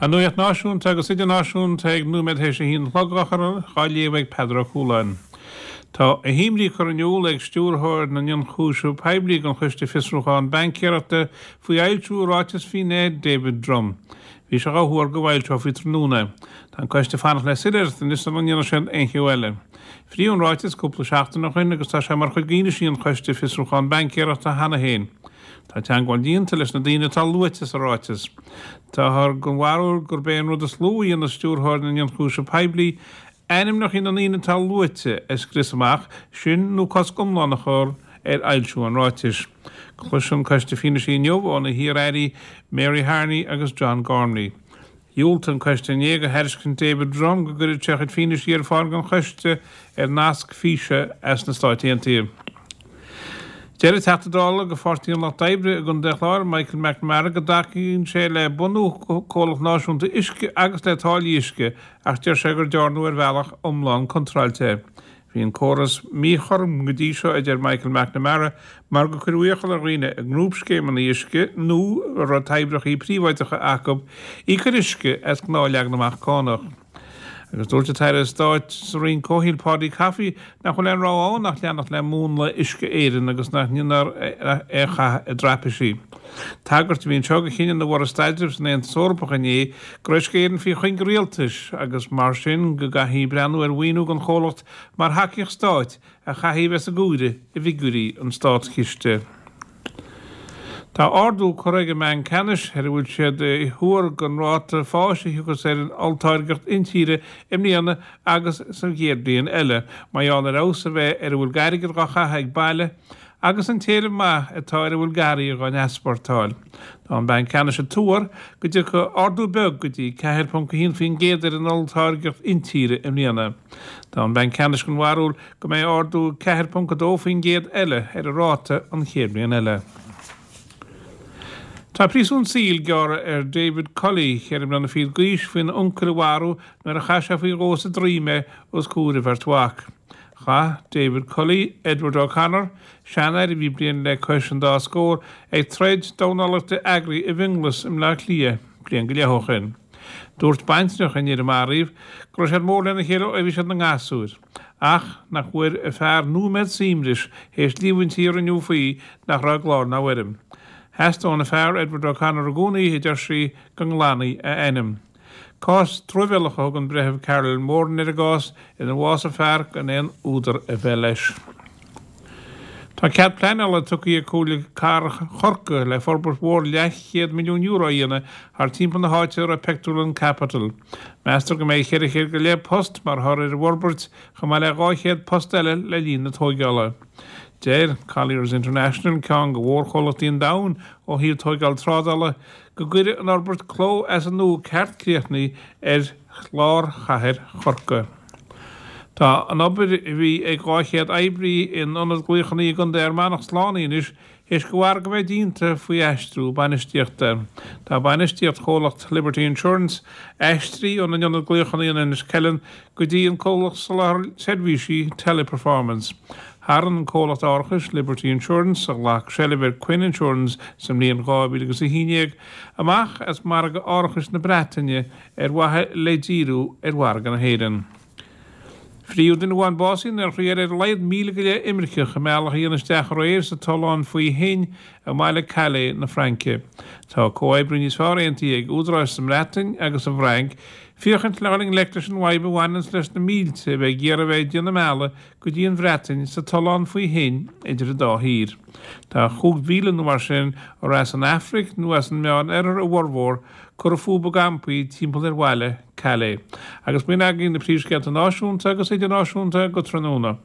An nuacht náisiúnta agus idirnáisiúnta ag nóiméad théis a haon a chlog á léamh ag Peadar Ó Cualáin. Tá a himní curtha in iúl ag Stiúrthóir na nIonchúiseamh Poiblí don Choiste Fiosrúcháin Baincéireachta faoi fhoilsiú ráiteas finné David Drumm. Bhí sé á thuar go bhfoilseofaí tráthnóna. Tá an coiste ag fanacht le soiléireacht anois sula ndéanfaidh siad aon cheo eile. Fríodh an ráiteas cúpla seachtain ó shin agus tá sé mar chuid d'fhianaisí an Choiste Fiosrúcháin Baincéireachta cheana féin. Tá teagmháil déanta leis na daoine atá luaite sa ráiteas. Táthar den bharúil gurb é an rud is lú a dhéanfadh Stiúrthóir na nIonchúiseamh Poiblí ainmneacha na ndaoine atá luaite a scrios amach, sin nó cosc iomlán a chur ar fhoilsiú an ráitis. Cloisfidh an Coiste fianaise inniu ó na hiar-airí Mary Harney agus John Gormley. Dhiúltaigh an coiste inné do thairiscint David Drumm go gcuirfeadh sé a chuid fianaise ar fáil don choiste ar nasc físe as na Stáit Aontaithe. Deir an Teachta Dála do Pháirtí an Lucht Oibre i gContae an Chláir, Michael McNamara go dtacaíonn sé le bunú comhlacht náisiúnta uisce agus le táillí uisce ach deir sé gur dearnadh ar bhealach iomlán contráilte é. Bhí an córas míchothrom go dtí seo, a deir Michael McNamara, mar gur cuireadh iachall ar dhaoine i ngrúpscéimeanna uisce nó a raibh toibreacha príobháideacha acu íoc ar uisce as gnáth-leagan amach cánach. Agus dúirt an tAire Stáit sa Roinn Comhshaoil Paudie Coffey nach bhfuil aon rogha ann ach leanacht le múnla Uisce Éireann agus nach ndéanfar é a chaitheamh i dtraipisí. Tagairt a bhí anseo do chinneadh na mBord Staidrimh san Aontas Eorpach inné go raibh Uisce Éireann faoi chuing rialtais agus mar sin go gcaithfí breathnú ar mhaoiniú don chomhlacht mar thacaíocht stáit a chaithfidh a bheith san áireamh i bhfigiúirí an státchiste. Tá ardú curtha ag an mBanc Ceannais ar a bhfuil siad ag tuar don ráta fáis a thiocfas ar an olltáirgeacht intíre i mbliana agus sa chéad bhliain eile mar gheall ar fheabhas a bheith ar a bhfuil d'airgead dhá chaitheamh ag baile agus an t-éileamh maith atá ar a bhfuil d'earraí dhá n-easpórtáil. Tá an Banc Ceannais ag tuar go dtiocfaidh ardú beag go dtí 4.1% ar an olltáirgeacht intíre i mbliana. Tá an Banc Ceannais den bharúil go mbeidh ardú 4.2% eile ar an ráta an chéad bhliain eile. Tá príosún saoil gearrtha ar David Cully, 24 mbliana d'aois, faoina uncail a mharú nuair a chaith sé faoi dhó sa droim é os comhair a bheirt mhac. Chaith David Cully, Edward O'Connor, seanfhear a bhí bliain le cois an dá scór, ag troid dornálaíochta eagraithe i bhFionnghlas i mBleá Cliath bliain go leith ó shin. Dúirt baintreach an fhir a maraíodh go raibh siad mór lena chéile ó bhí siad ina ngasúir, ach nach bhfuair a fear nóiméad suaimhnis théis líomhaintí a rinneadh faoi nach raibh i gclár ná i bhfoirm. Theastaigh óna fear, Edward O'Connor i gcónaí, a deir sí, go nglanfaí a ainm. Cás truamhéalach a thug an Breitheamh Carolyn Moran ar an gcás inar bhásaigh fear gan aon údar a bheith leis. Tá cead pleanála tugtha ag Comhairle Cathrach Chorcaí le forbairt mhór leathchéad €1,000,000 a dhéanamh thar timpeall na háite a raibh pictiúrlann Capitol. Meastar go mbeidh 400 go leith post mar thoradh ar an bhforbairt, chomh maith le 200 post eile le linn na tóigeála. Deir Colliers International, ceann de mhórchomhlachtaí an domhain ó thaobh tóigeáil trádála, go gcuirfidh an fhorbairt cló as an nua ceart críochnaithe ar lár chathair Chorcaí. Tá an obair a bhí ag 200 oibrí in ionad glaochanna i gContae Fhear Manach slánaithe anois théis do mhargadh a bheith déanta faoi aistriú bainistíochta. Tá bainistíocht chomhlacht Liberty Insurance aistrithe óna n-ionad glaochanna in Inis Ceithleann go dtí an comhlacht soláthair seirbhísí Teleperformance. Tharraing an comhlacht árachais Liberty Insurance, a ghlac seilbh ar Quinn Insurance sa mbliain 2011, amach as margadh árachais na Breataine ar mhaithe le díriú ar mhargadh na hÉireann. Fríodh duine amháin básaithe nuair a chríoch ar a laghad 1,000 go leith imirceach a mbealach a dhéanamh isteach aréir sa tollán faoi thoinn i mbaile Calais na Fraince. Tá comhoibriú níos fearr aontaithe ag údaráis sa mBreatain agus sa bhFrainc féachaint le dhul i ngleic leis an bhfadhb a bhaineanns leis na mílte a bheith ag iarraidh a bheith ag déanamh a mbealaigh go dtí an Bhreatain sa tollán faoi thoinn idir an dá thír. Tá 5,000 nó mar sin, ar as an Afraic nó as an Meán Oirthear a bhformhór, curtha fúthu i gcampaí timpeall ar bhaile Calais. Agus b'in agaibh na príomhscéalta náisiúnta agus idirnáisiúnta go tráthnóna.